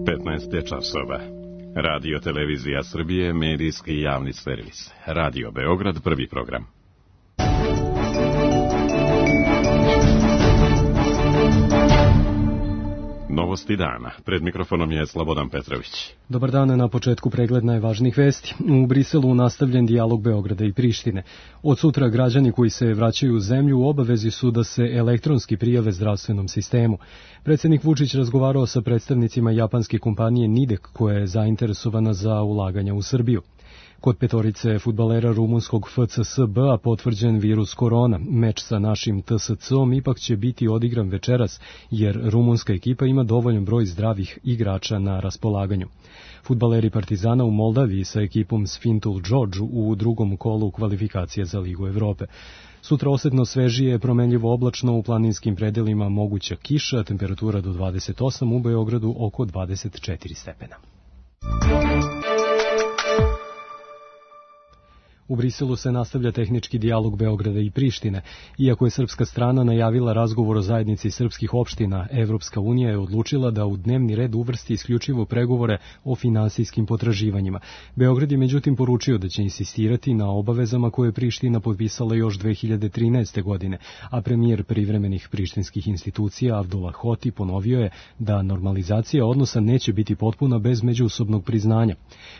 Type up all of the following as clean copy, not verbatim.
15 je časova. Radio Televizija Srbije, medijski javni servis. Radio Beograd, prvi program. Novosti dana. Pred mikrofonom je Slobodan Petrović. Dobar dan, na početku pregled najvažnijih vesti. U Briselu nastavljen dijalog Beograda i Prištine. Od sutra građani koji se vraćaju u zemlju u obavezi su da se elektronski prijave zdravstvenom sistemu. Predsjednik Vučić razgovarao sa predstavnicima japanske kompanije Nidek, koja je zainteresovana za ulaganja u Srbiju. Kod petorice fudbalera rumunskog FCSB-a potvrđen virus korona. Meč sa našim TSC-om ipak će biti odigran večeras, jer rumunska ekipa ima dovoljan broj zdravih igrača na raspolaganju. Fudbaleri Partizana u Moldaviji sa ekipom Sfintul Đorđu u drugom kolu kvalifikacije za Ligu Evrope. Sutra osetno svežije, promenljivo oblačno, u planinskim predelima moguća kiša, temperatura do 28, u Beogradu oko 24 stepena. U Briselu se nastavlja tehnički dijalog Beograda i Prištine. Iako je srpska strana najavila razgovor o zajednici srpskih opština, Evropska unija je odlučila da u dnevni red uvrsti isključivo pregovore o finansijskim potraživanjima. Beograd je međutim poručio da će insistirati na obavezama koje je Priština potpisala još 2013. godine, a premijer privremenih prištinskih institucija Avdullah Hoti ponovio je da normalizacija odnosa neće biti potpuna bez međusobnog priznanja.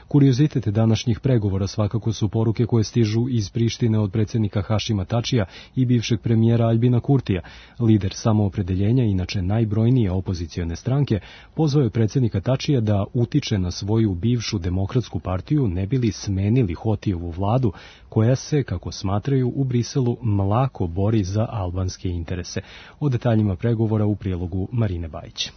Kuriozitet današnjih pregovora svakako su poruke koje stižu iz Prištine od predsjednika Hašima Tačija i bivšeg premijera Aljbina Kurtija. Lider Samoopredeljenja, inače najbrojnije opozicione stranke, pozvao je predsjednika Tačija da utiče na svoju bivšu demokratsku partiju, ne bili smenili Hotijevu vladu, koja se, kako smatraju, u Briselu mlako bori za albanske interese. O detaljima pregovora u prilogu Marine Bajić.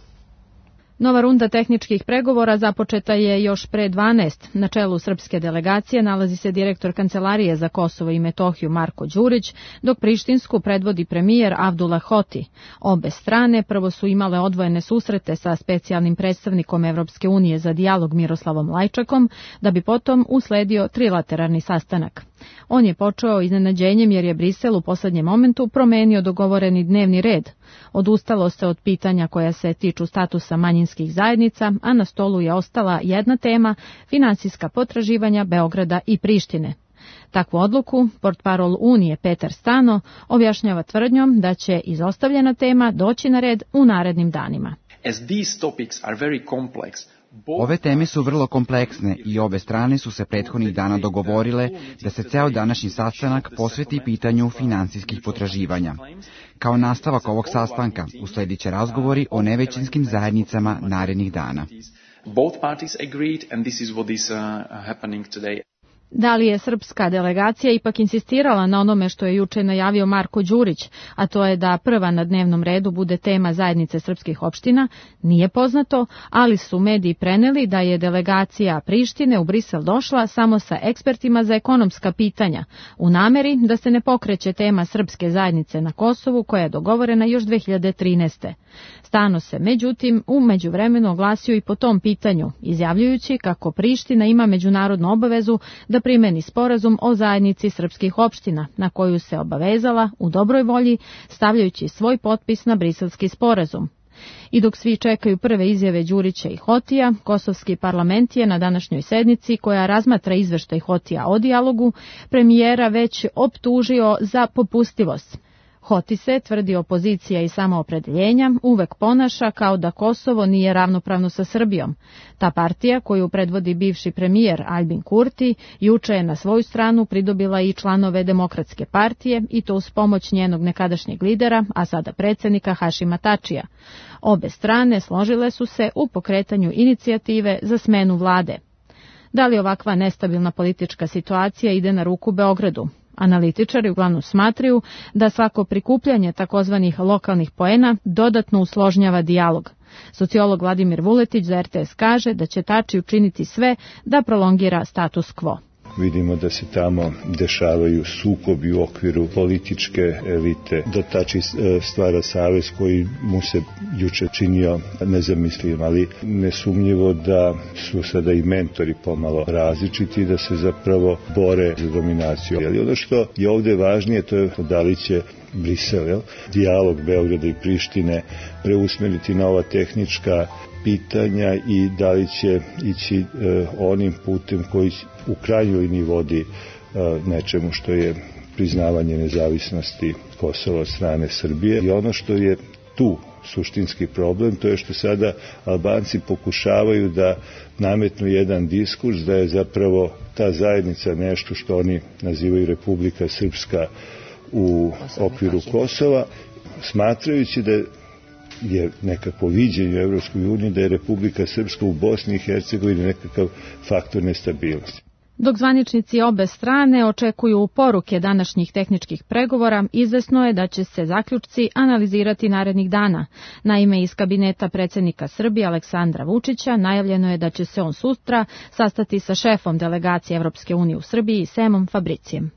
Nova runda tehničkih pregovora započeta je još pre 12. Na čelu srpske delegacije nalazi se direktor Kancelarije za Kosovo i Metohiju Marko Đurić, dok prištinsku predvodi premijer Avdullah Hoti. Obe strane prvo su imale odvojene susrete sa specijalnim predstavnikom Evropske unije za dijalog Miroslavom Lajčakom, da bi potom usledio trilateralni sastanak. On je počeo iznenađenjem jer je Brisel u poslednjem momentu promenio dogovoreni dnevni red. Odustalo se od pitanja koja se tiču statusa manjinskih zajednica, a na stolu je ostala jedna tema, finansijska potraživanja Beograda i Prištine. Takvu odluku portparol Unije Petar Stano objašnjava tvrdnjom da će izostavljena tema doći na red u narednim danima. Ove teme su vrlo kompleksne i obe strane su se prethodnih dana dogovorile da se ceo današnji sastanak posveti pitanju finansijskih potraživanja. Kao nastavak ovog sastanka usledit će razgovori o nevećinskim zajednicama narednih dana. Da li je srpska delegacija ipak insistirala na onome što je juče najavio Marko Đurić, a to je da prva na dnevnom redu bude tema zajednice srpskih opština, nije poznato, ali su mediji preneli da je delegacija Prištine u Brisel došla samo sa ekspertima za ekonomska pitanja, u nameri da se ne pokreće tema srpske zajednice na Kosovu koja je dogovorena još 2013. Stano se, međutim, u međuvremenu oglasio i po tom pitanju, izjavljujući kako Priština ima međunarodnu obavezu da primeni sporazum o zajednici srpskih opština, na koju se obavezala u dobroj volji, stavljajući svoj potpis na briselski sporazum. I dok svi čekaju prve izjave Đurića i Hotija, kosovski parlament je na današnjoj sednici, koja razmatra izveštaj Hotija o dijalogu, premijera već optužio za popustivost. Hoti se, tvrdi opozicija i samoopredeljenja, uvek ponaša kao da Kosovo nije ravnopravno sa Srbijom. Ta partija, koju predvodi bivši premijer Aljbin Kurti, juče je na svoju stranu pridobila i članove Demokratske partije, i to uz pomoć njenog nekadašnjeg lidera, a sada predsjednika Hašima Tačija. Obe strane složile su se u pokretanju inicijative za smenu vlade. Da li ovakva nestabilna politička situacija ide na ruku Beogradu? Analitičari uglavnom smatraju da svako prikupljanje takozvanih lokalnih poena dodatno usložnjava dijalog. Sociolog Vladimir Vuletić za RTS kaže da će Tači učiniti sve da prolongira status quo. Vidimo da se tamo dešavaju sukobi u okviru političke elite, da Tači stvara savez koji mu se juče činio nezamisliv, ali nesumnjivo da su sada i mentori pomalo različiti, da se zapravo bore za dominaciju. Ali ono što je ovdje važnije, to je da li će Brisel, dijalog Beograda i Prištine preusmeriti na ova tehnička pitanja i da li će ići onim putem koji u krajnjoj liniji vodi nečemu što je priznavanje nezavisnosti Kosova od strane Srbije. I ono što je tu suštinski problem, to je što sada Albanci pokušavaju da nametnu jedan diskurs da je zapravo ta zajednica nešto što oni nazivaju Republika Srpska u okviru Kosova, smatrajući da je nekako viđenje u Evropskoj uniji da je Republika Srpska u Bosni i Hercegovini nekakav faktor nestabilnosti. Dok zvaničnici obe strane očekuju poruke današnjih tehničkih pregovora, izvesno je da će se zaključci analizirati narednih dana. Naime, iz kabineta predsjednika Srbije Aleksandra Vučića najavljeno je da će se on sutra sastati sa šefom delegacije Evropske unije u Srbiji Semom Fabricijem.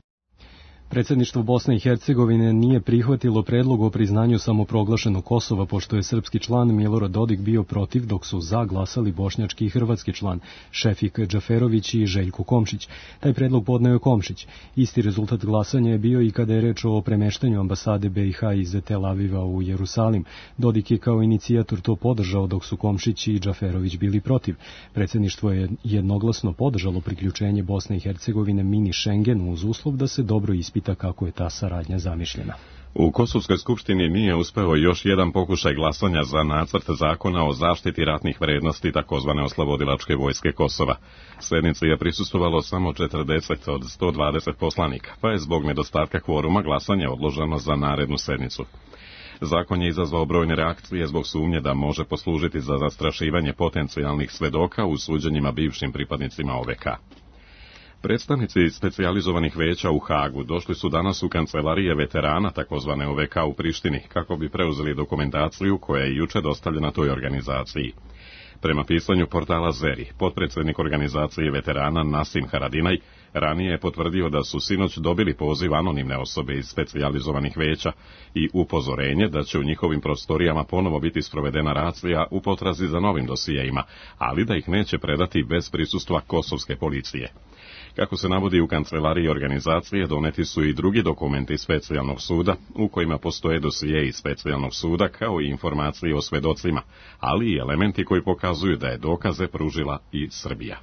Predsjedništvo Bosne i Hercegovine nije prihvatilo predlog o priznanju samoproglašenog Kosova, pošto je srpski član Milorad Dodik bio protiv, dok su za glasali bošnjački i hrvatski član Šefik Džaferović i Željko Komšić. Taj predlog podneo je Komšić. Isti rezultat glasanja je bio i kada je reč o premeštanju ambasade BiH iz Tel Aviva u Jerusalim. Dodik je kao inicijator to podržao, dok su Komšić i Džaferović bili protiv. Predsjedništvo je jednoglasno podržalo priključenje Bosne i Hercegovine mini Schengenu uz uslov da se dobro ispita kako je ta saradnja zamišljena. U Kosovskoj skupštini nije uspeo još jedan pokušaj glasanja za nacrt zakona o zaštiti ratnih vrednosti takozvane oslobodilačke vojske Kosova. Sjednici je prisustvovalo samo 40 od 120 poslanika, pa je zbog nedostatka kvoruma glasanje odloženo za narednu sednicu. Zakon je izazvao brojne reakcije zbog sumnje da može poslužiti za zastrašivanje potencijalnih svedoka u suđenjima bivšim pripadnicima OVK. Predstavnici specijalizovanih veća u Hagu došli su danas u kancelarije veterana takozvane OVK u Prištini kako bi preuzeli dokumentaciju koja je juče dostavljena toj organizaciji. Prema pisanju portala Zeri, potpredsjednik organizacije veterana Nasim Haradinaj ranije je potvrdio da su sinoć dobili poziv anonimne osobe iz specijalizovanih veća i upozorenje da će u njihovim prostorijama ponovo biti sprovedena racija u potrazi za novim dosijejima, ali da ih neće predati bez prisustva kosovske policije. Kako se navodi u kancelariji organizacije, doneti su i drugi dokumenti specijalnog suda, u kojima postoje dosije iz specijalnog suda, kao i informacije o svedocima, ali i elementi koji pokazuju da je dokaze pružila i Srbija.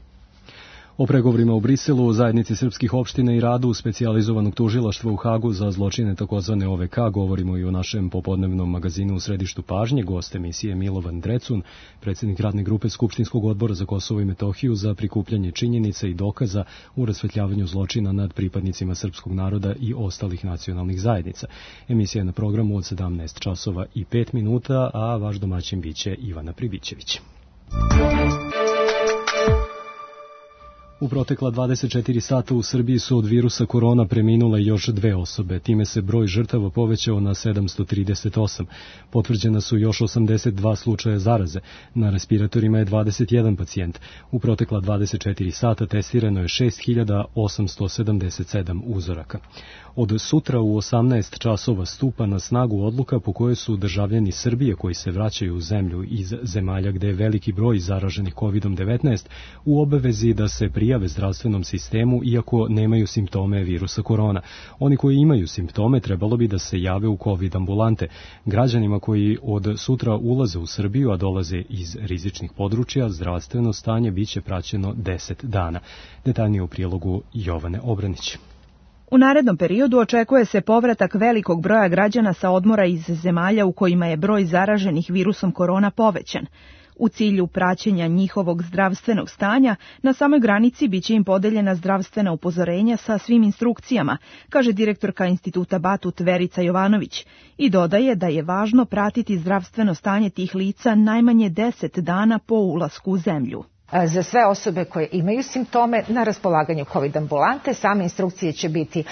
O pregovorima u Briselu, o zajednici srpskih opština i radu specijalizovanog tužilaštva u Hagu za zločine takozvane OVK govorimo i u našem popodnevnom magazinu U središtu pažnje. Gost emisije Milovan Drecun, predsjednik radne grupe Skupštinskog odbora za Kosovo i Metohiju za prikupljanje činjenica i dokaza u rasvetljavanju zločina nad pripadnicima srpskog naroda i ostalih nacionalnih zajednica. Emisija je na programu od 17 časova i 5 minuta, a vaš domaćin biće Ivana Pribićević. U protekla 24 sata u Srbiji su od virusa korona preminule još 2 osobe. Time se broj žrtava povećao na 738. Potvrđena su još 82 slučaja zaraze. Na respiratorima je 21 pacijent. U protekla 24 sata testirano je 6877 uzoraka. Od sutra u 18 časova stupa na snagu odluka po kojoj su državljani Srbije koji se vraćaju u zemlju iz zemalja gde je veliki broj zaraženih COVID-19 u obavezi da se prijave zdravstvenom sistemu iako nemaju simptome virusa korona. Oni koji imaju simptome trebalo bi da se jave u COVID ambulante. Građanima koji od sutra ulaze u Srbiju, a dolaze iz rizičnih područja, zdravstveno stanje biće praćeno 10 dana. Detaljnije u prilogu Jovane Obranić. U narednom periodu očekuje se povratak velikog broja građana sa odmora iz zemalja u kojima je broj zaraženih virusom korona povećan. U cilju praćenja njihovog zdravstvenog stanja, na samoj granici biće im podeljena zdravstvena upozorenja sa svim instrukcijama, kaže direktorka Instituta Batut Verica Jovanović, i dodaje da je važno pratiti zdravstveno stanje tih lica najmanje 10 dana po ulasku u zemlju. Za sve osobe koje imaju simptome na raspolaganju COVID ambulante, same instrukcije će biti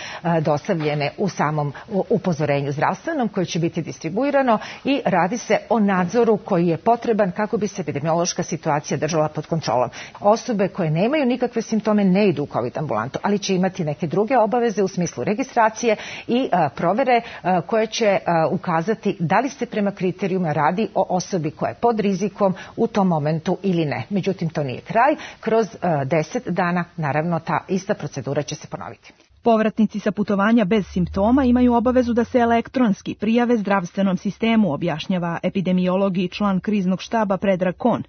dostavljene u samom upozorenju zdravstvenom koje će biti distribuirano i radi se o nadzoru koji je potreban kako bi se epidemiološka situacija držala pod kontrolom. Osobe koje nemaju nikakve simptome ne idu u COVID ambulantu, ali će imati neke druge obaveze u smislu registracije i provere koje će ukazati da li se prema kriterijuma radi o osobi koja je pod rizikom u tom momentu ili ne. Međutim, to nije kraj. Kroz 10 dana, naravno, ta ista procedura će se ponoviti. Povratnici sa putovanja bez simptoma imaju obavezu da se elektronski prijave zdravstvenom sistemu, objašnjava epidemiolog i član kriznog štaba Predrag Kon.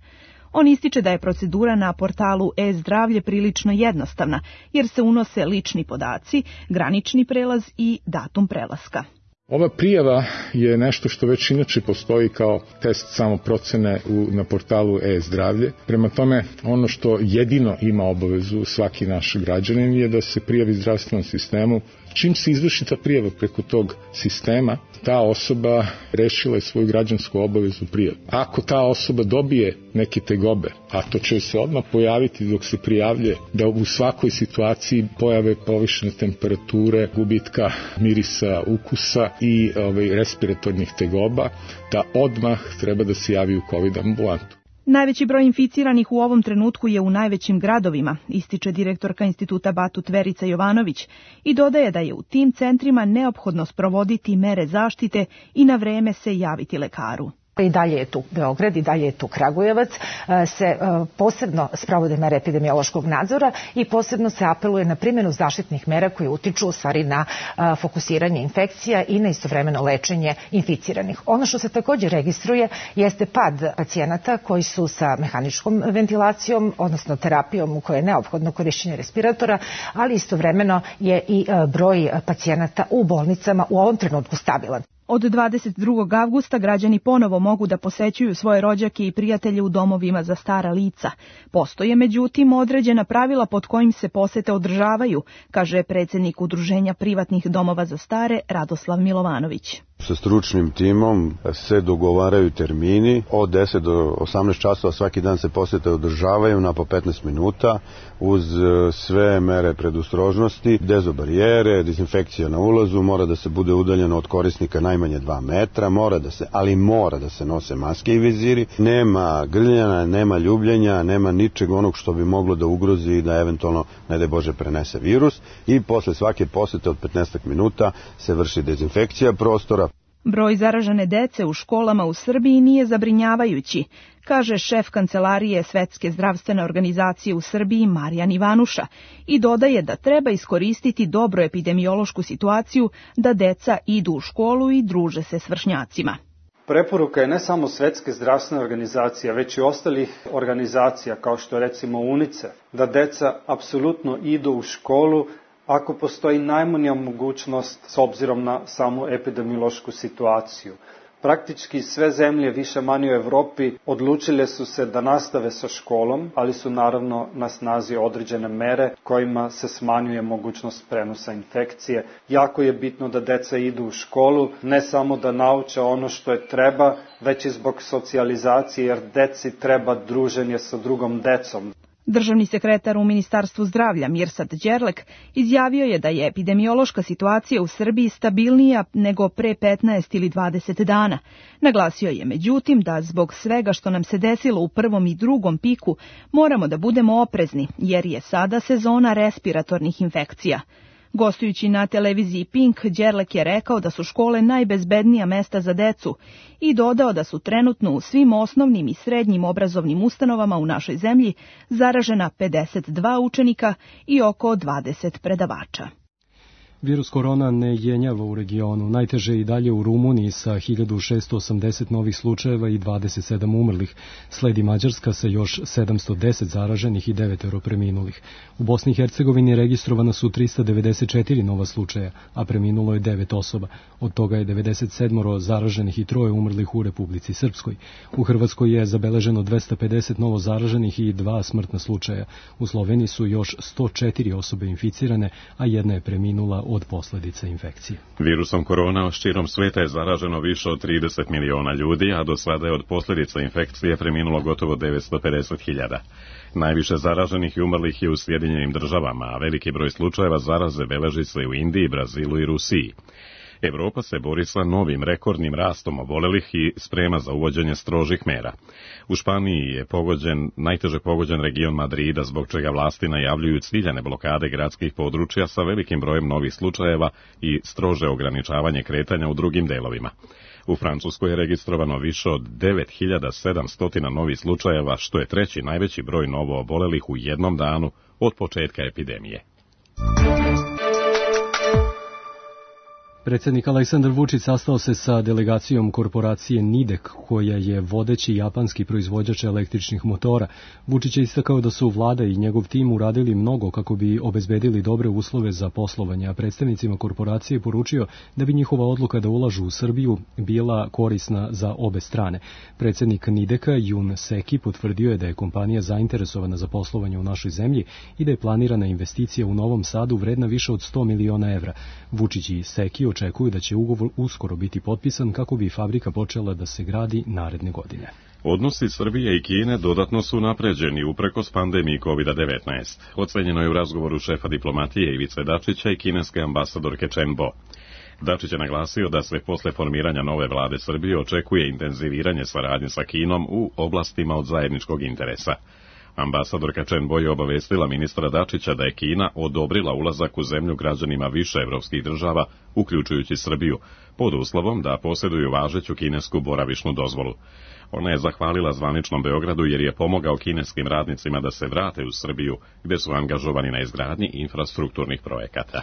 On ističe da je procedura na portalu e-zdravlje prilično jednostavna, jer se unose lični podaci, granični prelaz i datum prelaska. Ova prijava je nešto što već inače postoji kao test samoprocene na portalu e-zdravlje. Prema tome, ono što jedino ima obavezu svaki naš građanin je da se prijavi zdravstvenom sistemu. Čim se izvrši ta prijava preko tog sistema, ta osoba rešila je svoju građansku obavezu prijave. Ako ta osoba dobije neke tegobe, a to će se odmah pojaviti dok se prijavlje, da u svakoj situaciji pojave povišene temperature, gubitka mirisa, ukusa i respiratornih tegoba, da odmah treba da se javi u COVID ambulantu. Najveći broj inficiranih u ovom trenutku je u najvećim gradovima, ističe direktorka Instituta Batut Verica Jovanović i dodaje da je u tim centrima neophodno sprovoditi mere zaštite i na vreme se javiti lekaru. I dalje je tu Beograd, i dalje je tu Kragujevac, se posebno sprovode mere epidemiološkog nadzora i posebno se apeluje na primjenu zaštitnih mera koje utiču u stvari na fokusiranje infekcija i na istovremeno lečenje inficiranih. Ono što se također registruje jeste pad pacijenata koji su sa mehaničkom ventilacijom, odnosno terapijom u kojoj je neophodno korišćenje respiratora, ali istovremeno je i broj pacijenata u bolnicama u ovom trenutku stabilan. Od 22. avgusta građani ponovo mogu da posećuju svoje rođake i prijatelje u domovima za stara lica. Postoje, međutim, određena pravila pod kojim se posete održavaju, kaže predsjednik Udruženja privatnih domova za stare Radoslav Milovanović. Sa stručnim timom se dogovaraju termini, od 10 do 18 časova svaki dan se posete održavaju na po 15 minuta uz sve mere predostrožnosti, dezobarijere, dezinfekcija na ulazu, mora da se bude udaljeno od korisnika najmanje 2 metra, mora da se nose maske i viziri, nema grljanja, nema ljubljenja, nema ničeg onog što bi moglo da ugrozi i da eventualno, ne daj Bože, prenese virus i posle svake posete od 15 minuta se vrši dezinfekcija prostora. Broj zaražene dece u školama u Srbiji nije zabrinjavajući, kaže šef Kancelarije Svetske zdravstvene organizacije u Srbiji Marijan Ivanuša i dodaje da treba iskoristiti dobru epidemiološku situaciju da deca idu u školu i druže se s vršnjacima. Preporuka je ne samo Svetske zdravstvene organizacije, već i ostalih organizacija kao što je recimo UNICEF, da deca apsolutno idu u školu ako postoji najmanja mogućnost s obzirom na samu epidemiološku situaciju. Praktički sve zemlje više manje u Evropi odlučile su se da nastave sa školom, ali su naravno na snazi određene mere kojima se smanjuje mogućnost prenosa infekcije. Jako je bitno da deca idu u školu, ne samo da nauče ono što je treba, već i zbog socijalizacije, jer deci treba druženje sa drugom decom. Državni sekretar u Ministarstvu zdravlja Mirsad Đerlek izjavio je da je epidemiološka situacija u Srbiji stabilnija nego pre 15 ili 20 dana. Naglasio je međutim da zbog svega što nam se desilo u prvom i drugom piku moramo da budemo oprezni jer je sada sezona respiratornih infekcija. Gostujući na televiziji Pink, Đerlek je rekao da su škole najbezbednija mesta za decu i dodao da su trenutno u svim osnovnim i srednjim obrazovnim ustanovama u našoj zemlji zaražena 52 učenika i oko 20 predavača. Virus korona ne jenjava u regionu. Najteže i dalje u Rumuniji sa 1680 novih slučajeva i 27 umrlih. Sledi Mađarska sa još 710 zaraženih i 9 preminulih. U Bosni i Hercegovini registrovana su 394 nova slučaja, a preminulo je 9 osoba. Od toga je 97 zaraženih i 3 umrlih u Republici Srpskoj. U Hrvatskoj je zabeleženo 250 novo zaraženih i 2 smrtna slučaja. U Sloveniji su još 104 osobe inficirane, a jedna je preminula od posljedica infekcije. Virusom korona širom sveta je zaraženo više od 30 miliona ljudi, a do sada je od posljedica infekcije preminulo gotovo 950.000. Najviše zaraženih i umrlih je u Sjedinjenim Državama, a veliki broj slučajeva zaraze beleži se u Indiji, Brazilu i Rusiji. Evropa se bori sa novim rekordnim rastom obolelih i sprema za uvođenje strožih mera. U Španiji je najteže pogođen region Madrida, zbog čega vlasti najavljuju ciljane blokade gradskih područja sa velikim brojem novih slučajeva i strože ograničavanje kretanja u drugim delovima. U Francuskoj je registrovano više od 9700 novih slučajeva, što je treći najveći broj novo obolelih u jednom danu od početka epidemije. Predsjednik Aleksandar Vučić sastao se sa delegacijom korporacije Nidek, koja je vodeći japanski proizvođač električnih motora. Vučić je istakao da su vlada i njegov tim uradili mnogo kako bi obezbedili dobre uslove za poslovanje, a predstavnicima korporacije poručio da bi njihova odluka da ulažu u Srbiju bila korisna za obe strane. Predsjednik Nideka, Jun Seki, potvrdio je da je kompanija zainteresovana za poslovanje u našoj zemlji i da je planirana investicija u Novom Sadu vredna više od 100 miliona evra. Vučić i Seki očekuju da će ugovor uskoro biti potpisan kako bi fabrika počela da se gradi naredne godine. Odnosi Srbije i Kine dodatno su napređeni uprkos pandemiji COVID-19. Ocenjeno je u razgovoru šefa diplomatije Ivice Dačića i kineske ambasadorke Chen Bo. Dačić je naglasio da se posle formiranja nove vlade Srbije očekuje intenziviranje saradnje sa Kinom u oblastima od zajedničkog interesa. Ambasadorka Chen Bo je obavestila ministra Dačića da je Kina odobrila ulazak u zemlju građanima više evropskih država, uključujući Srbiju, pod uslovom da posjeduju važeću kinesku boravišnu dozvolu. Ona je zahvalila zvaničnom Beogradu jer je pomogao kineskim radnicima da se vrate u Srbiju, gde su angažovani na izgradnji infrastrukturnih projekata.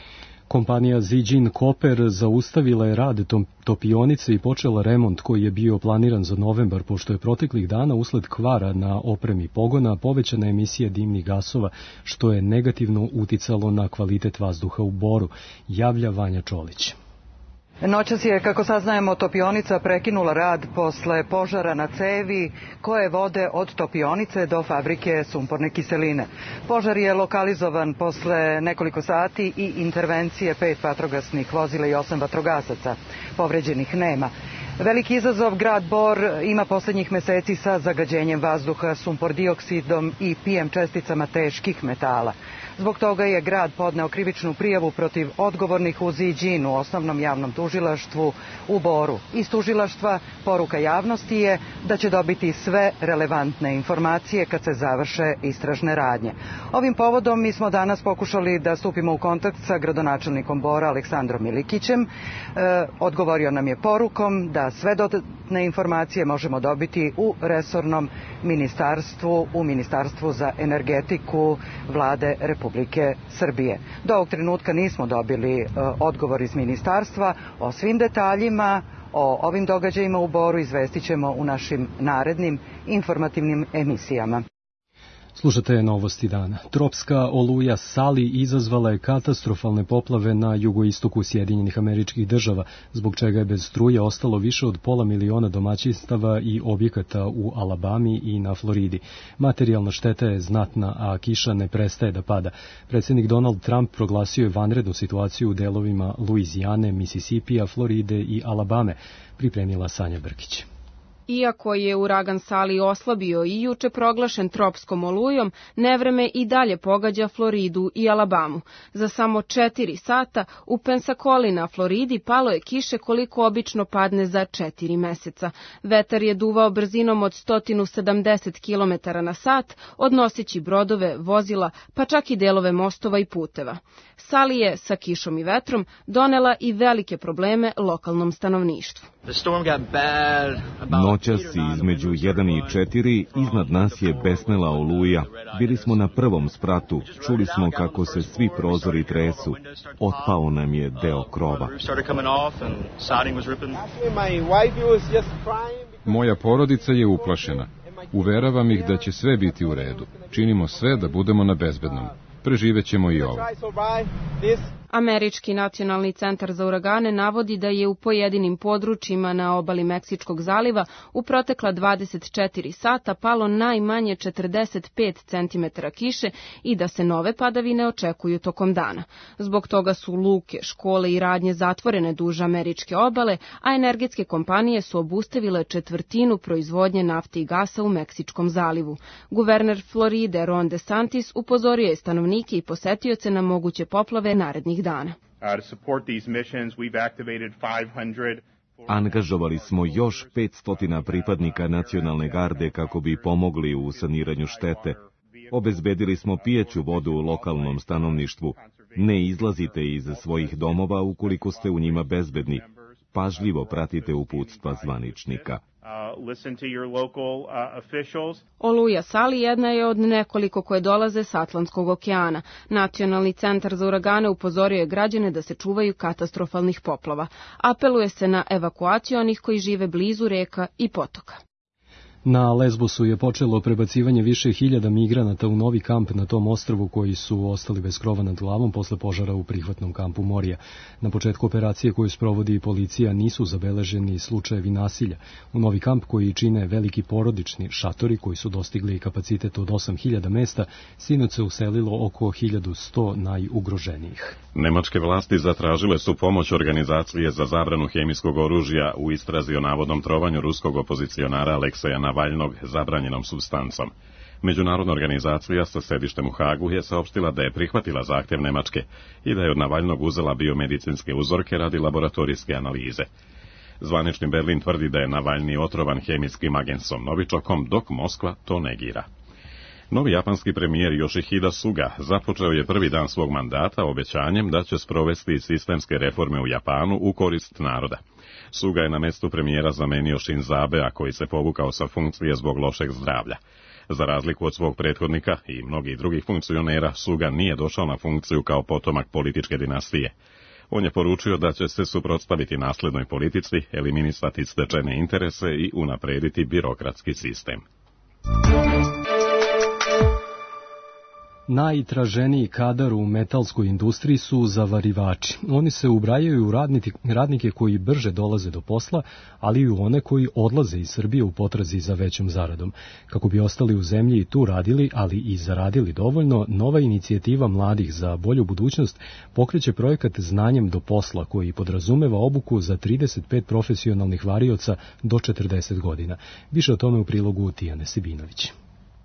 Kompanija Zijin Copper zaustavila je rad topionice i počela remont koji je bio planiran za novembar, pošto je proteklih dana usled kvara na opremi pogona povećana emisija dimnih gasova, što je negativno uticalo na kvalitet vazduha u Boru, javlja Vanja Čolić. Noćas je, kako saznajemo, topionica prekinula rad posle požara na cevi koje vode od topionice do fabrike sumporne kiseline. Požar je lokalizovan posle nekoliko sati i intervencije 5 vatrogasnih vozila i 8 vatrogasaca. Povređenih nema. Veliki izazov grad Bor ima poslednjih meseci sa zagađenjem vazduha sumpor dioksidom i PM česticama teških metala. Zbog toga je grad podneo krivičnu prijavu protiv odgovornih u Zijinu, osnovnom javnom tužilaštvu u Boru. Iz tužilaštva poruka javnosti je da će dobiti sve relevantne informacije kad se završe istražne radnje. Ovim povodom mi smo danas pokušali da stupimo u kontakt sa gradonačelnikom Bora Aleksandrom Milikićem. Odgovorio nam je porukom da sve dodatne informacije možemo dobiti u resornom ministarstvu, u Ministarstvu za energetiku Vlade Republike Srbije. Do ovog trenutka nismo dobili odgovor iz ministarstva. O svim detaljima, o ovim događajima u Boru izvestit ćemo u našim narednim informativnim emisijama. Slušate novosti dana. Tropska oluja Sali izazvala je katastrofalne poplave na jugoistoku Sjedinjenih Američkih Država, zbog čega je bez struje ostalo više od 500.000 domaćinstava i objekata u Alabami i na Floridi. Materijalna šteta je znatna, a kiša ne prestaje da pada. Predsjednik Donald Trump proglasio je vanrednu situaciju u delovima Luizijane, Misisipija, Floride i Alabame, pripremila Sanja Brkić. Iako je uragan Sali oslabio i juče proglašen tropskom olujom, nevreme i dalje pogađa Floridu i Alabamu. Za samo 4 sata u Pensacoli na Floridi palo je kiše koliko obično padne za 4 meseca. Vetar je duvao brzinom od 170 km na sat, odnoseći brodove, vozila, pa čak i delove mostova i puteva. Sali je sa kišom i vetrom donela i velike probleme lokalnom stanovništvu. Noćas između 1 i 4 iznad nas je besnela oluja. Bili smo na prvom spratu, čuli smo kako se svi prozori tresu. Otpao nam je deo krova. Moja porodica je uplašena. Uveravam ih da će sve biti u redu. Činimo sve da budemo na bezbednom. Preživećemo i ovo. Američki nacionalni centar za uragane navodi da je u pojedinim područjima na obali Meksičkog zaliva u protekla 24 sata palo najmanje 45 cm kiše i da se nove padavine očekuju tokom dana. Zbog toga su luke, škole i radnje zatvorene duž američke obale, a energetske kompanije su obustavile 1/4 proizvodnje nafte i gasa u Meksičkom zalivu. Guverner Floride Ron DeSantis upozorio je stanovnike i posetioce na moguće poplave narednih dana. Angažovali smo još 500 pripadnika nacionalne garde kako bi pomogli u saniranju štete. Obezbedili smo pijeću vodu u lokalnom stanovništvu. Ne izlazite iz svojih domova ukoliko ste u njima bezbedni. Pažljivo pratite uputstva zvaničnika. Oluja Sali jedna je od nekoliko koje dolaze s Atlantskog okeana. Nacionalni centar za uragane upozorio je građane da se čuvaju katastrofalnih poplava. Apeluje se na evakuaciju onih koji žive blizu reka i potoka. Na Lesbosu je počelo prebacivanje više hiljada migranata u novi kamp na tom ostrvu koji su ostali bez krova nad glavom posle požara u prihvatnom kampu Morija. Na početku operacije koju sprovodi policija nisu zabeleženi slučajevi nasilja. U novi kamp koji čine veliki porodični šatori koji su dostigli kapacitet od 8000 mesta, sinoć se uselilo oko 1100 najugroženijih. Nemačke vlasti zatražile su pomoć organizacije za zabranu hemijskog oružja u istrazi o navodnom trovanju ruskog opozicionara Alekseja Navalnog zabranjenom supstancom. Međunarodna organizacija sa sedištem u Hagu je saopštila da je prihvatila zahtjev Nemačke i da je od Navalnog uzela biomedicinske uzorke radi laboratorijske analize. Zvanični Berlin tvrdi da je Navalni otrovan hemijskim agensom novičokom, dok Moskva to negira. Novi japanski premijer Yoshihide Suga započeo je prvi dan svog mandata obećanjem da će sprovesti sistemske reforme u Japanu u korist naroda. Suga je na mestu premijera zamenio Shinzo Abea, koji se povukao sa funkcije zbog lošeg zdravlja. Za razliku od svog prethodnika i mnogih drugih funkcionera, Suga nije došao na funkciju kao potomak političke dinastije. On je poručio da će se suprotstaviti naslednoj politici, eliminisati stečene interese i unaprediti birokratski sistem. Najtraženiji kadar u metalskoj industriji su zavarivači. Oni se ubrajaju u radnike koji brže dolaze do posla, ali i u one koji odlaze iz Srbije u potrazi za većom zaradom. Kako bi ostali u zemlji i tu radili, ali i zaradili dovoljno, nova inicijativa mladih za bolju budućnost pokreće projekat Znanjem do posla, koji podrazumeva obuku za 35 profesionalnih varioca do 40 godina. Više o tome u prilogu Tijane Sibinović.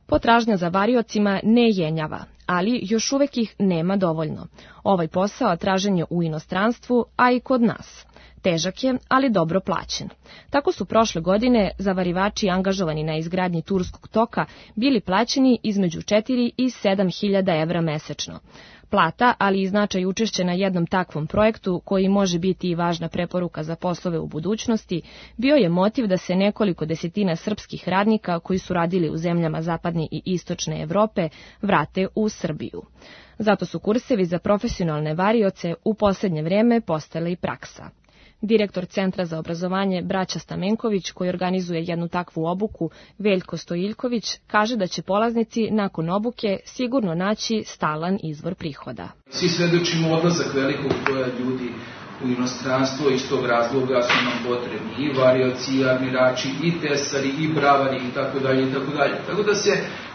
Potražnja za variocima ne jenjava, ali još uvek ih nema dovoljno. Ovaj posao tražen je u inostranstvu, a i kod nas. Težak je, ali dobro plaćen. Tako su prošle godine zavarivači angažovani na izgradnji Turskog toka bili plaćeni između 4 i 7.000 evra mesečno. Plata, ali i značaj učešća na jednom takvom projektu, koji može biti i važna preporuka za poslove u budućnosti, bio je motiv da se nekoliko desetina srpskih radnika koji su radili u zemljama zapadne i istočne Evrope vrate u Srbiju. Zato su kursevi za profesionalne varioce u poslednje vreme postali praksa. Direktor Centra za obrazovanje Braća Stamenković, koji organizuje jednu takvu obuku, Veljko Stojiljković, kaže da će polaznici nakon obuke sigurno naći stalan izvor prihoda. Svi svedočimo odlazak velikog broja ljudi u inostranstvo, iz tog razloga su nam potrebni i varioci, i armirači, i tesari, i bravari, itd. Tako da se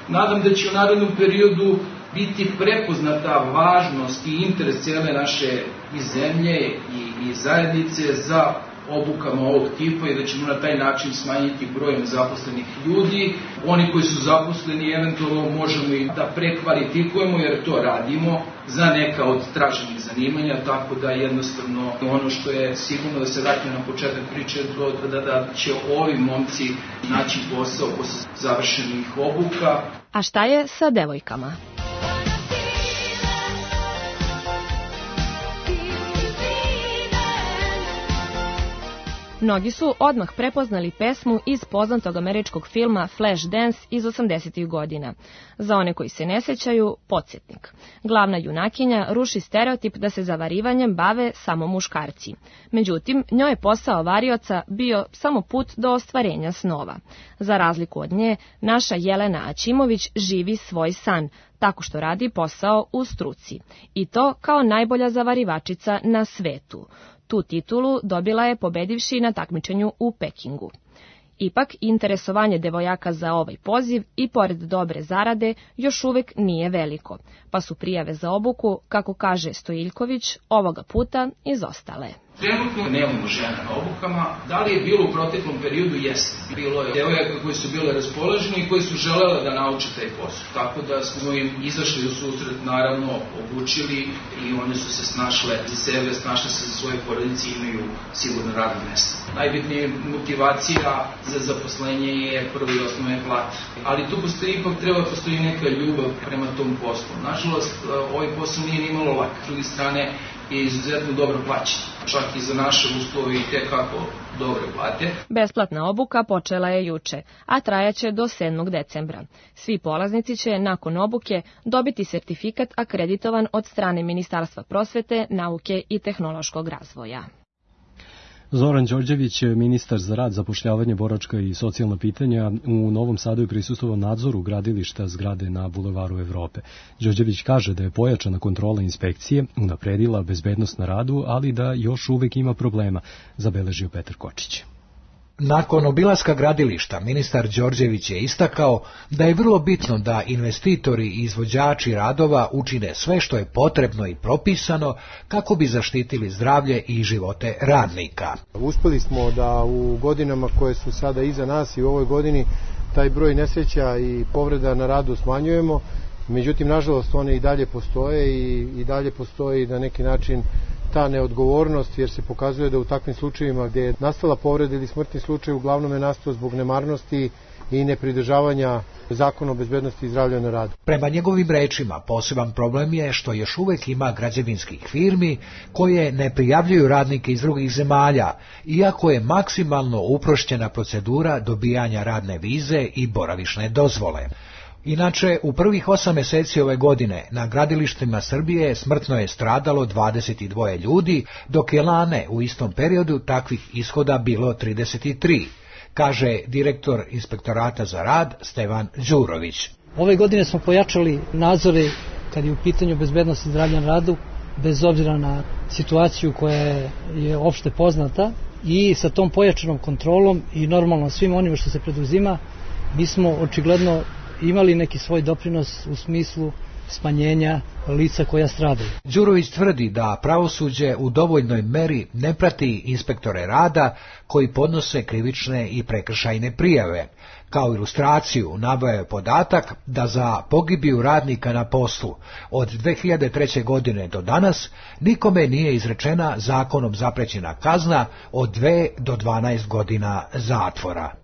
nadam da će u narednom periodu biti prepoznata važnost i interes cijele naše i zemlje i zajednice za obukama ovog tipa i da ćemo na taj način smanjiti broj nezaposlenih ljudi. Oni koji su zaposleni eventualno možemo i da prekvalifikujemo jer to radimo za neka od traženih zanimanja, tako da jednostavno ono što je sigurno da se vrati na početak priče da će ovi momci naći posao posle završenih obuka. A šta je sa devojkama? Mnogi su odmah prepoznali pesmu iz poznatog američkog filma Flashdance iz 80. godina. Za one koji se ne sećaju, podsjetnik. Glavna junakinja ruši stereotip da se zavarivanjem bave samo muškarci. Međutim, njoj je posao varioca bio samo put do ostvarenja snova. Za razliku od nje, naša Jelena Aćimović živi svoj san, tako što radi posao u struci. I to kao najbolja zavarivačica na svetu. Tu titulu dobila je pobedivši na takmičenju u Pekingu. Ipak, interesovanje devojaka za ovaj poziv i pored dobre zarade još uvek nije veliko, pa su prijave za obuku, kako kaže Stojiljković, ovoga puta izostale. Trenutno nemamo žena na obukama. Da li je bilo u proteklom periodu? Jeste. Bilo je devojaka koji su bile raspoloženi i koji su želele da nauče taj posao. Tako da smo im izašli u susret, naravno, obučili i one su se snašle za sebe, snašle se za svoje porodice i imaju sigurno radno mesto. Najbitnija motivacija za zaposlenje je prvo i osnovne plate. Ali tu ipak treba postoji neka ljubav prema tom poslu. Nažalost, ovaj posao nije nimalo lak. S druge strane, je izuzetno dobro plaćen. Čak i za naše uslove i tekako dobre plate. Besplatna obuka počela je juče, a trajaće do 7. decembra. Svi polaznici će nakon obuke dobiti sertifikat akreditovan od strane Ministarstva prosvete, nauke i tehnološkog razvoja. Zoran Đorđević, ministar za rad, zapošljavanje, boračka i socijalna pitanja, u Novom Sadu je prisustvovao nadzoru gradilišta zgrade na Bulevaru Evrope. Đorđević kaže da je pojačana kontrola inspekcije unapredila bezbednost na radu, ali da još uvek ima problema, zabeležio Petar Kočić. Nakon obilaska gradilišta, ministar Đorđević je istakao da je vrlo bitno da investitori i izvođači radova učine sve što je potrebno i propisano kako bi zaštitili zdravlje i živote radnika. Uspeli smo da u godinama koje su sada iza nas i u ovoj godini taj broj nesreća i povreda na radu smanjujemo, međutim, nažalost, one i dalje postoje i dalje postoji na neki način ta neodgovornost, jer se pokazuje da u takvim slučajevima gdje je nastala povreda ili smrtni slučaj uglavnom je nastao zbog nemarnosti i nepridržavanja Zakona o bezbednosti i zdravlja na radu. Prema njegovim rečima, poseban problem je što još uvek ima građevinskih firmi koje ne prijavljuju radnike iz drugih zemalja, iako je maksimalno uprošćena procedura dobijanja radne vize i boravišne dozvole. Inače, u prvih 8 meseci ove godine na gradilištima Srbije smrtno je stradalo 22 ljudi, dok je lane u istom periodu takvih ishoda bilo 33, kaže direktor Inspektorata za rad Stevan Đurović. Ove godine smo pojačali nadzore kad je u pitanju bezbednost i zdravlja na radu, bez obzira na situaciju koja je opšte poznata, i sa tom pojačanom kontrolom i normalno svim onim što se preduzima, mi smo očigledno imali neki svoj doprinos u smislu smanjenja lica koja stradaju. Đurović tvrdi da pravosuđe u dovoljnoj meri ne prati inspektore rada koji podnose krivične i prekršajne prijave. Kao ilustraciju naveo je podatak da za pogibiju radnika na poslu od 2003. godine do danas nikome nije izrečena zakonom zaprećena kazna od 2 do 12 godina zatvora.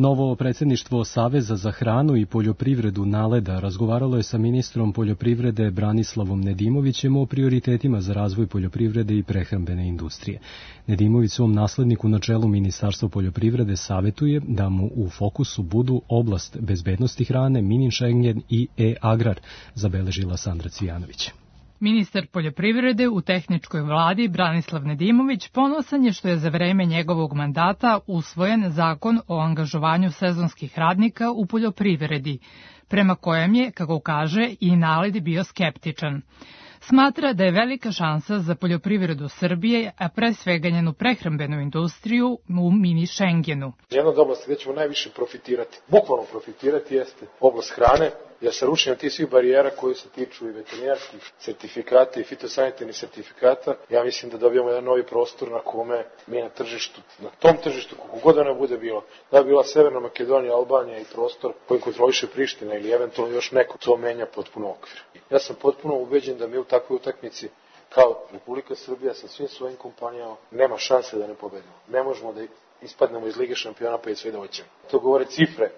Novo predsjedništvo Saveza za hranu i poljoprivredu NALED-a razgovaralo je sa ministrom poljoprivrede Branislavom Nedimovićem o prioritetima za razvoj poljoprivrede i prehrambene industrije. Nedimović svom nasledniku na čelu Ministarstva poljoprivrede savjetuje da mu u fokusu budu oblast bezbednosti hrane, mini Schengen i e-agrar, zabeležila Sandra Cvijanović. Ministar poljoprivrede u tehničkoj vladi Branislav Nedimović ponosan je što je za vreme njegovog mandata usvojen zakon o angažovanju sezonskih radnika u poljoprivredi, prema kojem je, kako kaže, i NALED bio skeptičan. Smatra da je velika šansa za poljoprivredu Srbije, a pre svega njenu prehrambenu industriju u mini Schengenu. Jedna od oblasti gde ćemo najviše profitirati, bukvalno profitirati, jeste oblast hrane, jer sa rušenjem tih svih barijera koji se tiču i veterinarskih sertifikata i fitosanitarnih sertifikata, ja mislim da dobijamo jedan novi prostor na kome mi na tržištu, na tom tržištu, kako god ona bude bilo, da bi bila Severna Makedonija, Albanija i prostor kojim kontroliše Priština ili eventualno još neko, to menja potpuno okvir. Ja sam potpuno ubeđen da mi u takvoj utakmici kao Republika Srbija sa svim svojim kompanijama nema šanse da ne pobedimo. Ne možemo da ispadnemo iz Lige šampiona pa i sve da hoćemo. To govore cifre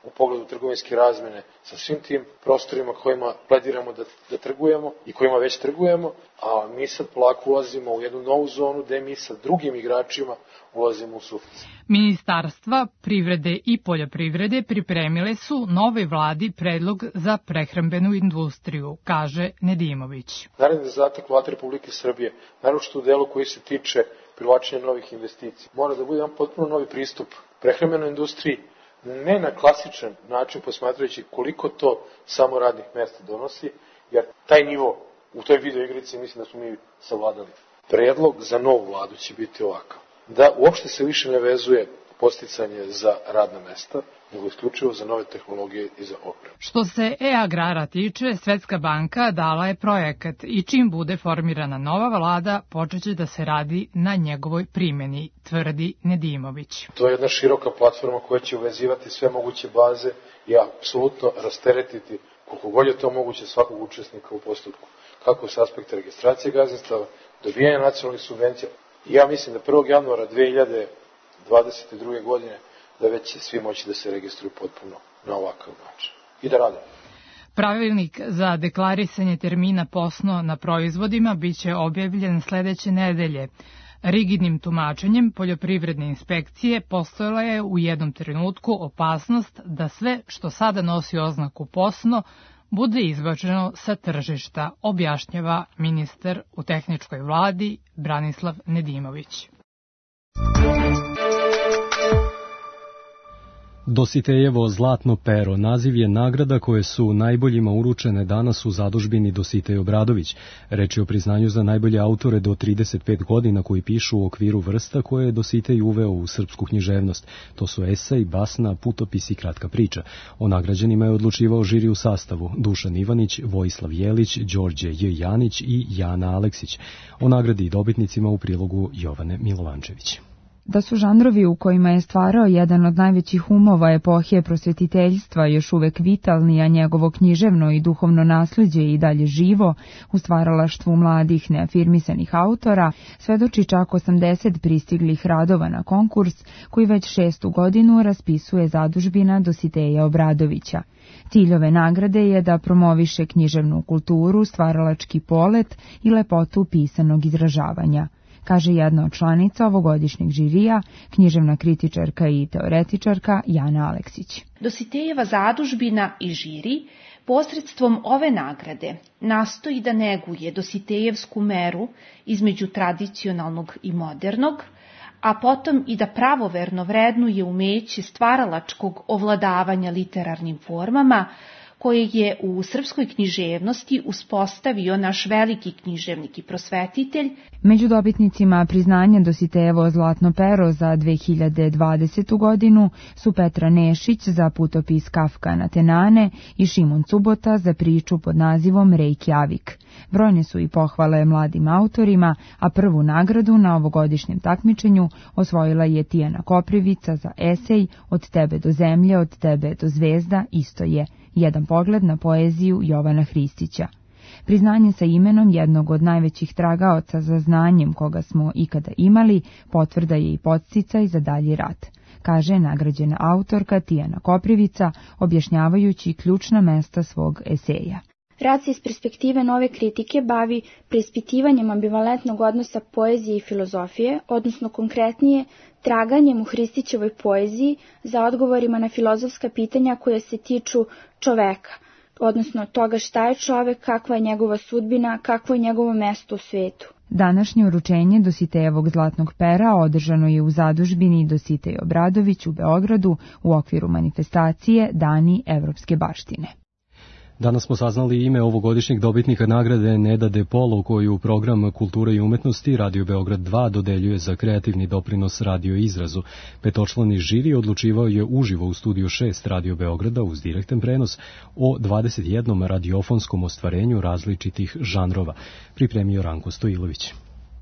u pogledu trgovinske razmene sa svim tim prostorima kojima plediramo da trgujemo i kojima već trgujemo, a mi sad polako ulazimo u jednu novu zonu gde mi sa drugim igračima ulazimo u suficit. Ministarstva privrede i poljoprivrede pripremile su novoj vladi predlog za prehrambenu industriju, kaže Nedimović. Naredni zadatak Vlade Republike Srbije, naročito u delu koji se tiče privlačenja novih investicija, mora da bude jedan potpuno novi pristup prehrambenoj industriji, ne na klasičan način posmatrajući koliko to samo radnih mesta donosi, jer taj nivo u toj video igrici mislim da smo mi savladali. Predlog za novu vladu će biti ovakav, da uopšte se više ne vezuje podsticanje za radna mesta, nego isključivo za nove tehnologije i za opremu. Što se e-agrara tiče, Svetska banka dala je projekat i čim bude formirana nova vlada, počeće da se radi na njegovoj primjeni, tvrdi Nedimović. To je jedna široka platforma koja će uvezivati sve moguće baze i apsolutno rasteretiti koliko god je to moguće svakog učesnika u postupku, kako s aspekta registracije gazdinstava, dobijanja nacionalnih subvencija. Ja mislim da 1. januara 2022. godine da već će svi moći da se registruju potpuno na ovakav način i da rade. Pravilnik za deklarisanje termina posno na proizvodima biće objavljen sledeće nedelje. Rigidnim tumačenjem poljoprivredne inspekcije postojala je u jednom trenutku opasnost da sve što sada nosi oznaku posno bude izbačeno sa tržišta, objašnjava ministar u tehničkoj vladi Branislav Nedimović. Dositejevo zlatno pero naziv je nagrada koje su najboljima uručene danas u zadužbini Dositej Obradović. Reč je o priznanju za najbolje autore do 35 godina koji pišu u okviru vrsta koje je Dositej uveo u srpsku književnost. To su esej, basna, putopis i kratka priča. O nagrađenima je odlučivao žiri u sastavu Dušan Ivanić, Vojislav Jelić, Đorđe J. Janić i Jana Aleksić. O nagradi i dobitnicima u prilogu Jovane Milovančević. Da su žanrovi u kojima je stvarao jedan od najvećih umova epohije prosvetiteljstva još uvek vitalni, a njegovo književno i duhovno nasleđe i dalje živo u stvaralaštvu mladih neafirmisanih autora, svedoči čak 80 pristiglih radova na konkurs koji već 6. godinu raspisuje zadužbina Dositeja Obradovića. Cilj ove nagrade je da promoviše književnu kulturu, stvaralački polet i lepotu pisanog izražavanja, kaže jedna od članica ovogodišnjeg žirija, književna kritičarka i teoretičarka Jana Aleksić. Dositejeva zadužbina i žiri posredstvom ove nagrade nastoji da neguje Dositejevsku meru između tradicionalnog i modernog, a potom i da pravoverno vrednuje umeće stvaralačkog ovladavanja literarnim formama, koje je u srpskoj književnosti uspostavio naš veliki književnik i prosvetitelj. Među dobitnicima priznanja Dositejevo zlatno pero za 2020. godinu su Petra Nešić za putopis Kafka na Tenane i Šimon Cubota za priču pod nazivom Reykjavik. Brojne su i pohvale mladim autorima, a prvu nagradu na ovogodišnjem takmičenju osvojila je Tijana Koprivica za esej Od tebe do zemlje, od tebe do zvezda, isto je. Jedan pogled na poeziju Jovana Hristića. Priznanje sa imenom jednog od najvećih tragaoca za znanjem koga smo ikada imali, potvrda je i podsticaj za dalji rad, kaže nagrađena autorka Tijana Koprivica, objašnjavajući ključna mesta svog eseja. Rad se iz perspektive nove kritike bavi preispitivanjem ambivalentnog odnosa poezije i filozofije, odnosno konkretnije, traganjem u Hristićevoj poeziji za odgovorima na filozofska pitanja koja se tiču čoveka, odnosno toga šta je čovek, kakva je njegova sudbina, kakvo je njegovo mesto u svetu. Današnje uručenje Dositejevog zlatnog pera održano je u zadužbini Dositej Obradović u Beogradu u okviru manifestacije Dani evropske baštine. Danas smo saznali ime ovogodišnjeg dobitnika nagrade Neda De Polo, koju program Kulture i umetnosti Radio Beograd 2 dodeljuje za kreativni doprinos radio izrazu. Petočlani žiri odlučivao je uživo u studiju 6 Radio Beograda uz direktan prenos o 21 radiofonskom ostvarenju različitih žanrova. Pripremio Ranko Stojilović.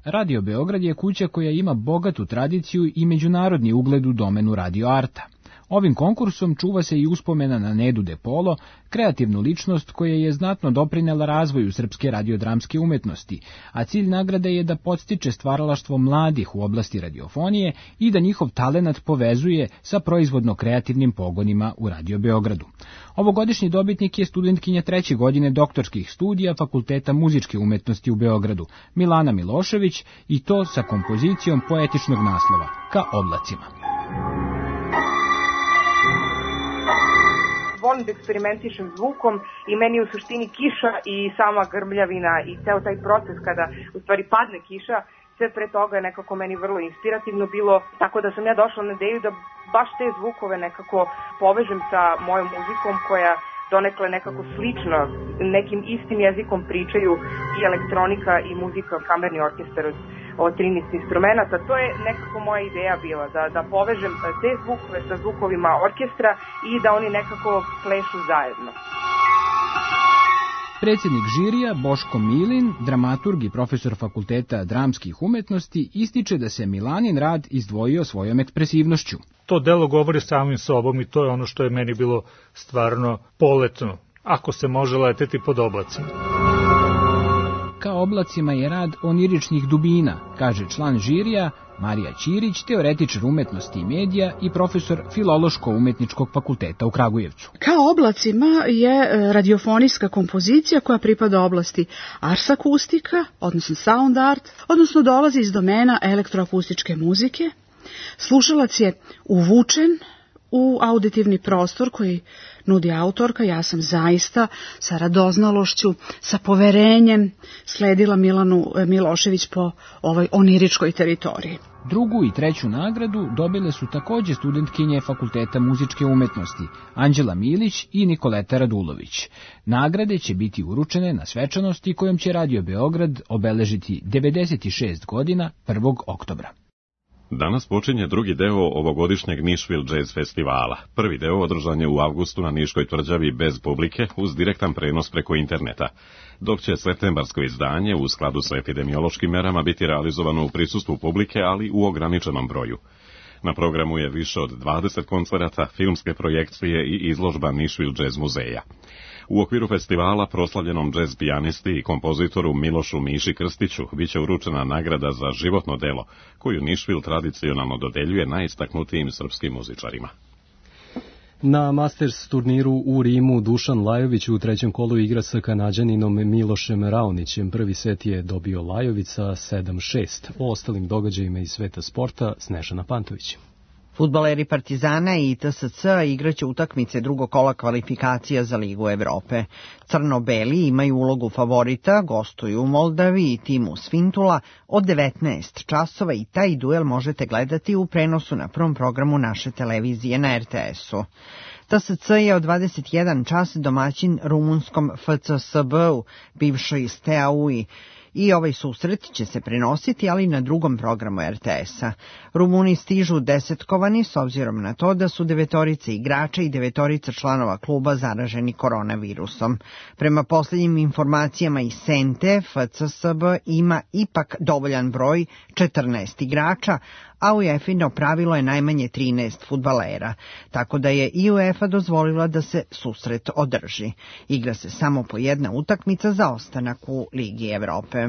Radio Beograd je kuća koja ima bogatu tradiciju i međunarodni ugled u domenu radio arta. Ovim konkursom čuva se i uspomena na Nedu De Polo, kreativnu ličnost koja je znatno doprinela razvoju srpske radiodramske umetnosti, a cilj nagrade je da podstiče stvaralaštvo mladih u oblasti radiofonije i da njihov talenat povezuje sa proizvodno-kreativnim pogonima u Radio Beogradu. Ovogodišnji dobitnik je studentkinja 3. godine doktorskih studija Fakulteta muzičke umetnosti u Beogradu, Milana Milošević, i to sa kompozicijom poetičnog naslova, Ka oblacima. Volim da eksperimentišem zvukom i meni u suštini kiša i sama grmljavina i ceo taj proces kada u stvari padne kiša, sve pre toga je nekako meni vrlo inspirativno bilo, tako da sam ja došla na ideju da baš te zvukove nekako povežem sa mojom muzikom koja donekle nekako slično, nekim istim jezikom pričaju i elektronika i muzika, kamerni orkestar od 13 instrumenta. To je nekako moja ideja bila, da povežem te zvukove sa zvukovima orkestra i da oni nekako plešu zajedno. Predsjednik žirija Boško Milin, dramaturg i profesor Fakulteta dramskih umetnosti, ističe da se Milanin rad izdvojio svojom ekspresivnošću. To delo govori samim sobom i to je ono što je meni bilo stvarno poletno, ako se može leteti pod oblacima. Ka oblacima je rad oniričnih dubina, kaže član žirija Marija Ćirić, teoretičar umetnosti i medija i profesor Filološko-umetničkog fakulteta u Kragujevcu. Kao oblacima je radiofonijska kompozicija koja pripada oblasti ars akustika, odnosno sound art, odnosno dolazi iz domena elektroakustičke muzike. Slušalac je uvučen u auditivni prostor koji nudi autorka. Ja sam zaista sa radoznalošću, sa poverenjem sledila Milanu Milošević po ovoj oniričkoj teritoriji. Drugu i treću nagradu dobile su takođe studentkinje Fakulteta muzičke umetnosti Anđela Milić i Nikoleta Radulović. Nagrade će biti uručene na svečanosti kojom će Radio Beograd obeležiti 96 godina 1. oktobra. Danas počinje drugi deo ovogodišnjeg Nashville Jazz Festivala. Prvi deo održan je u avgustu na Niškoj tvrđavi bez publike uz direktan prenos preko interneta, dok će septembarsko izdanje u skladu sa epidemiološkim merama biti realizovano u prisustvu publike, ali u ograničenom broju. Na programu je više od 20 koncerata, filmske projekcije i izložba Nashville Jazz muzeja. U okviru festivala proslavljenom džez pijanisti i kompozitoru Milošu Miši Krstiću biće uručena nagrada za životno delo, koju Nashville tradicionalno dodeljuje najistaknutijim srpskim muzičarima. Na Masters turniru u Rimu Dušan Lajović u trećem kolu igra sa Kanađaninom Milošem Raonićem. Prvi set je dobio Lajović sa 7-6. O ostalim događajima iz sveta sporta Snežana Pantović. Fudbaleri Partizana i TSC igraće utakmice drugog kola kvalifikacija za Ligu Evrope. Crno-beli imaju ulogu favorita, gostuju u Moldavi i timu Svintula od 19 časova i taj duel možete gledati u prenosu na prvom programu naše televizije na RTS-u. TSC je od 21 čas domaćin rumunskom FCSB-u, bivšoj Steaui, i ovaj susret će se prenositi, ali na drugom programu RTS-a. Rumuni stižu desetkovani s obzirom na to da su 9 igrača i 9 članova kluba zaraženi koronavirusom. Prema posljednjim informacijama iz Sente, FCSB ima ipak dovoljan broj 14 igrača, a UEFA pravilo je najmanje 13 fudbalera, tako da je i UEFA dozvolila da se susret održi. Igra se samo po jedna utakmica za ostanak u Ligi Evrope.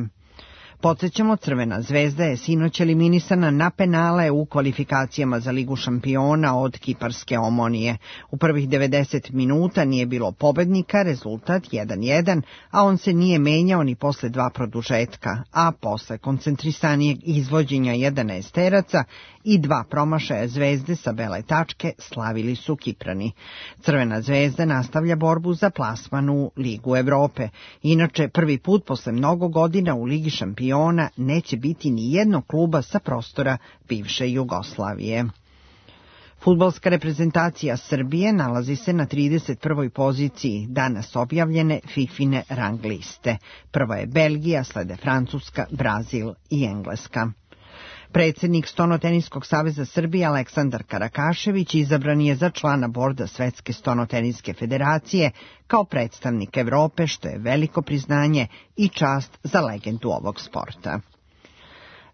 Podsjećamo, Crvena zvezda je sinoć eliminisana na penale u kvalifikacijama za Ligu šampiona od kiparske Omonije. U prvih 90 minuta nije bilo pobednika, rezultat 1-1, a on se nije menjao ni posle 2 produžetka, a posle koncentrisanijeg izvođenja 11-teraca i 2 promašaja Zvezde sa bele tačke slavili su Kiprani. Crvena zvezda nastavlja borbu za plasman u Ligu Evrope. Inače, prvi put posle mnogo godina u Ligi šampiona neće biti ni jednog kluba sa prostora bivše Jugoslavije. Fudbalska reprezentacija Srbije nalazi se na 31. poziciji danas objavljene FIFA-ine rang liste. Prva je Belgija, slede Francuska, Brazil i Engleska. Predsjednik Stonoteniskog saveza Srbije Aleksandar Karakašević izabran je za člana borda Svetske stonoteniske federacije kao predstavnik Evrope, što je veliko priznanje i čast za legendu ovog sporta.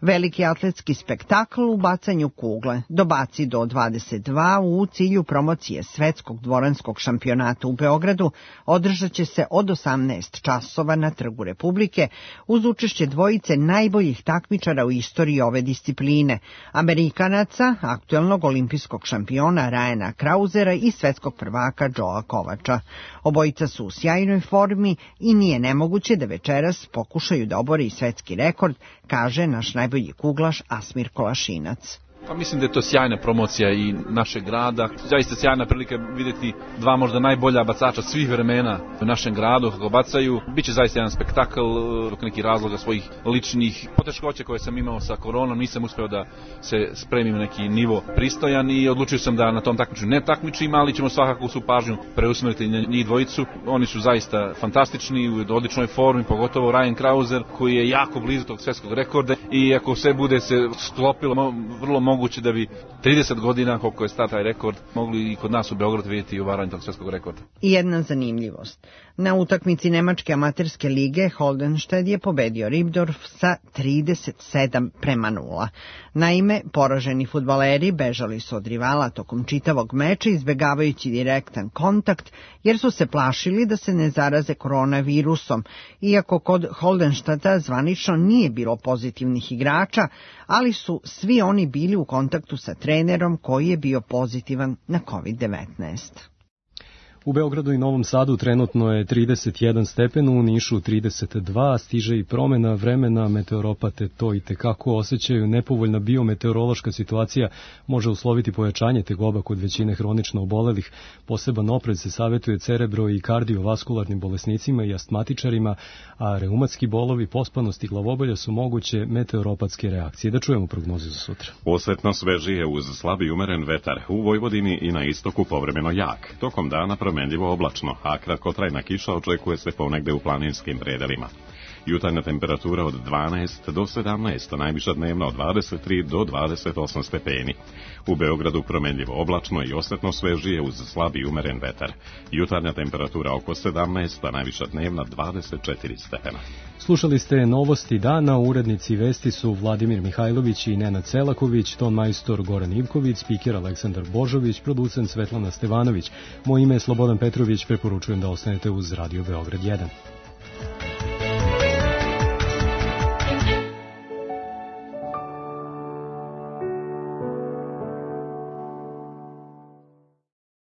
Veliki atletski spektakl u bacanju kugle, do baci do 22 u cilju promocije svetskog dvoranskog šampionata u Beogradu, održat će se od 18 časova na Trgu Republike uz učešće dvojice najboljih takmičara u istoriji ove discipline, Amerikanaca, aktuelnog olimpijskog šampiona Ryana Krausera i svetskog prvaka Joea Kovača. Obojica su u sjajnoj formi i nije nemoguće da večeras pokušaju da obore i svetski rekord, kaže naš najbolji kuglaš Asmir Kolašinac. Pa mislim da je to sjajna promocija i našeg grada. Zaista sjajna prilika vidjeti 2 možda najbolja bacača svih vremena u našem gradu kako bacaju. Biće zaista jedan spektakl, dok neki razloga svojih ličnih poteškoća koje sam imao sa koronom, nisam uspeo da se spremim na neki nivo pristojan i odlučio sam da na tom takmiču ne takmičim, ali ćemo svakako svu pažnju preusmeriti na njih dvojicu. Oni su zaista fantastični, u odličnoj formi, pogotovo Ryan Krauser koji je jako blizu tog svetskog rekorda i ako sve bude se sklopilo, vrlo moguće da bi 30 godina, koliko je star taj rekord, mogli i kod nas u Beogradu vidjeti i uvaranje tog svetskog rekorda. I jedna zanimljivost. Na utakmici Nemačke amaterske lige Holdenšted je pobedio Ribdorf sa 37:0. Naime, poraženi fudbaleri bežali su od rivala tokom čitavog meča izbegavajući direktan kontakt jer su se plašili da se ne zaraze koronavirusom, iako kod Holdenštata zvanično nije bilo pozitivnih igrača, ali su svi oni bili u kontaktu sa trenerom koji je bio pozitivan na COVID-19. U Beogradu i Novom Sadu trenutno je 31 stepen, u Nišu 32, stiže i promena vremena, meteoropate to i tekako osjećaju. Nepovoljna biometeorološka situacija može usloviti pojačanje tegoba kod većine hronično obolelih. Poseban oprez se savjetuje cerebro- i kardiovaskularnim bolesnicima i astmatičarima, a reumatski bolovi, pospanost i glavobolja su moguće meteoropatske reakcije. Da čujemo prognozu za sutra. Osetno svežije uz slab i umeren vetar, u Vojvodini i na istoku povremeno jak. Tokom dana promenljivo oblačno, a kratkotrajna kiša očekuje se ponegde u planinskim predelima. Jutarnja temperatura od 12 do 17, najviša dnevna od 23 do 28 stepeni. U Beogradu promenljivo oblačno i osetno svežije uz slab i umeren vetar. Jutarnja temperatura oko 17, a najviša dnevna 24 stepena. Slušali ste novosti dana, urednici vesti su Vladimir Mihajlović i Nenad Selaković, ton majstor Goran Ivković, spiker Aleksandar Božović, producent Svetlana Stevanović. Moje ime je Slobodan Petrović, preporučujem da ostanete uz Radio Beograd 1.